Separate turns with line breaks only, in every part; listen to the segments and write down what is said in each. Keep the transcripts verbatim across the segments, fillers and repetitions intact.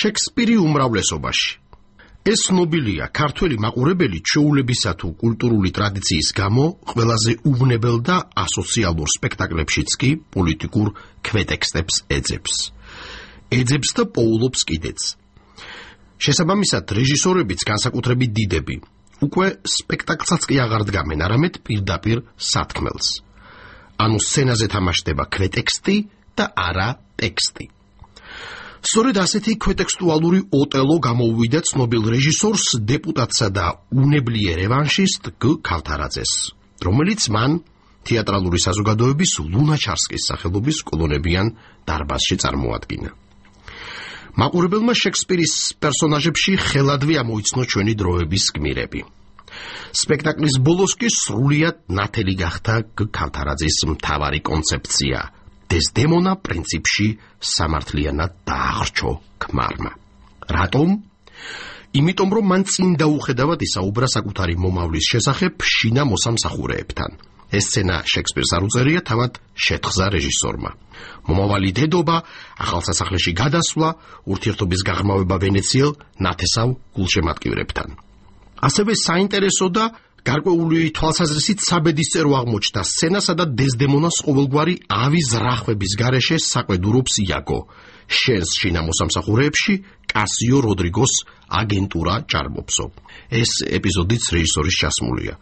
შექსპირი უმრავლესობაში. ეს ცნობილია ქართველი მაყურებელი ჩვეულებისა თუ კულტურული ტრადიციის გამო ყველაზე უვნებელ და ასოციალურ სპექტაკლებშიც კი პოლიტიკურ ქვეტექსტებს ეძებს. ეძებს და პოულობს კიდეც. შესაბამისად, რეჟისორებიც განსაკუთრებით დიდები უკვე სპექტაკლსაც კი აღარ დგამენ, არამედ პირდაპირ სათქმელს. ანუ სცენაზე თამაშდება ქვეტექსტი და არა ტექსტი. სწორედ ასეთი ქვეტექსტუალური ოტელო გამოუვიდა ცნობილ რეჟისორს, დეპუტატსა და უნებლიე რევანშისტ გ. ქავთარაძეს, რომელიც მან თეატრალური საზოგადოების ლუნაჩარსკის სახელობის კოლონებიან დარბაზში წარმოადგინა. მაყურებელმა შექსპირის პერსონაჟებში ხელადვე ამოიცნო ჩვენი დროების გმირები. სპექტაკლის ბოლოს კი სრულიად ნათელი გახდა გ. ქავთარაძის მთავარი კონცეფცია. დეზდემონა პრინციპში სამართლიანად დააღრჩო ქმარმა. რატომ? იმიტომ, რომ მან წინ დაუხედავად ისაუბრა საკუთარი მომავლის შესახებ შინა მოსამსახურეებთან. ეს სცენა შექსპირს არ უწერია, თავად შეთხზა რეჟისორმა. მომავალი დედობა, ახალსასახლეში გადასვლა, ურთიერთობის გაღრმავება ვენეციელ ნათესავ გულშემატკივრებთან. ასევე საინტერესო და გარკვეული თვალსაზრისით საბედისწერო აღმოჩნდა სცენა, სადაც დეზდემონას ყოველგვარი ავის რახვების გარეშე საყვედურობს იაგო. შენს შინა მოსამსახურეებში კასიო როდრიგოს აგენტურა ჭარბობსო. ეს ეპიზოდიც რეჟისორის ჩასმულია.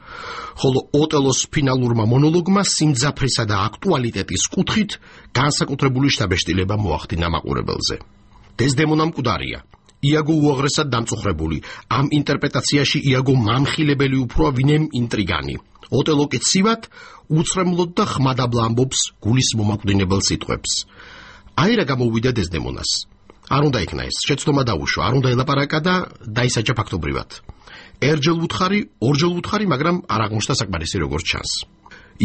ხოლო ოტელოს ფინალურმა მონოლოგმა სიმძაფრისა და აქტუალიტეტის კუთხით განსაკუთრებული შთაბეჭდილება მოახდინა მაყურებელზე. დეზდემონა მკვდარია. იაგო უაღრესად დამწუხრებული. ამ ინტერპრეტაციაში იაგო მამხილებელი უფროა, ვინმე ინტრიგანი. ოტელო კი ცივად, უცრემლოდ და ხმადაბლა ამბობს გულის მომაკვდინებელ სიტყვებს. აი რა გამოუვიდა დეზდემონას. არ უნდა იქნა ეს, შეცდომა დაუშვა, არ უნდა ელაპარაკა და დაისაჯა ფაქტობრივად. ერჯელ ვუთხარი, ორჯერ ვუთხარი, მაგრამ არ აღმოჩნდა საკმარისი როგორც ჩანს.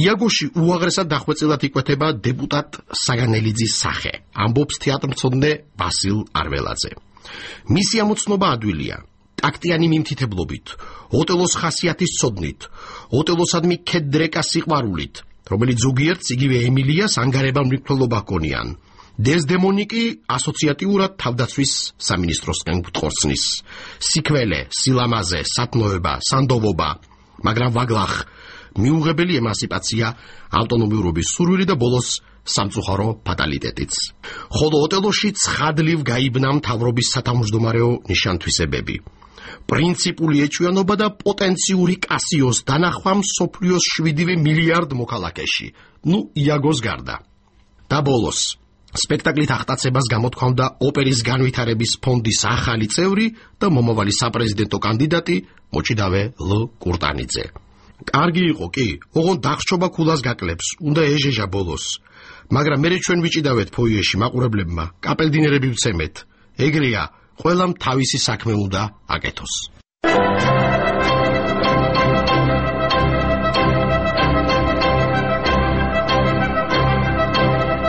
იაგოში უაღრესად დახვეწილად იკვეთება დეპუტატ საგანელიძის სახე, ამბობს თეატრმცოდნე ვასილ არველაძე. მისი ამოცნობა ადვილია, ტაქტიანი მიმთითებლობით, ოტელოს ხასიათის ცოდნით, ოტელოსადმი ქედრეკა სიყვარულით, რომელიც ზოგიერთს იგივე ემილიას ანგარებან მრიცხველობა ჰქონიან. დეზდემონი კი ასოციატიურად თავდაცვის სამინისტროსკენ გთხოვცნის. სიქველე, სილამაზე, სათნოება, სანდოვობა, მაგრამ ვაგლახ, მიუღებელი ემანსიპაცია, ავტონომიურობის სურვილი და ბოლოს სამწუხარო ფატალიტეტიც. ხოლო ოტელოში ცხადლივ გაიბნა მთავრობის სათავმჯდომარეო ნიშანთვისებები. პრინციპული ეჭვიანობა და პოტენციური კასიოს დანახვა მსოფლიოს შვიდივე მილიარდ მოქალაქეში. ნუ იაგოს გარდა. და ბოლოს სპექტაკლით აღტაცებას გამოთქვამდა ოპერის განვითარების ფონდის ახალი წევრი და მომავალი საპრეზიდენტო კანდიდატი მოჭიდავე ლ. კურტანიძე. კარგი იყო კი, ოღონდ დახშობა ქულას გაკლებს, უნდა ეჟეჟა ბოლოს. მაგრამ მე ჩვენ ვიჭიდავეთ ფოიეში მაყურებლებმა, კაპელდინერები ვცემეთ. ეგრეა, ყველამ თავისი საქმე უნდა აკეთოს.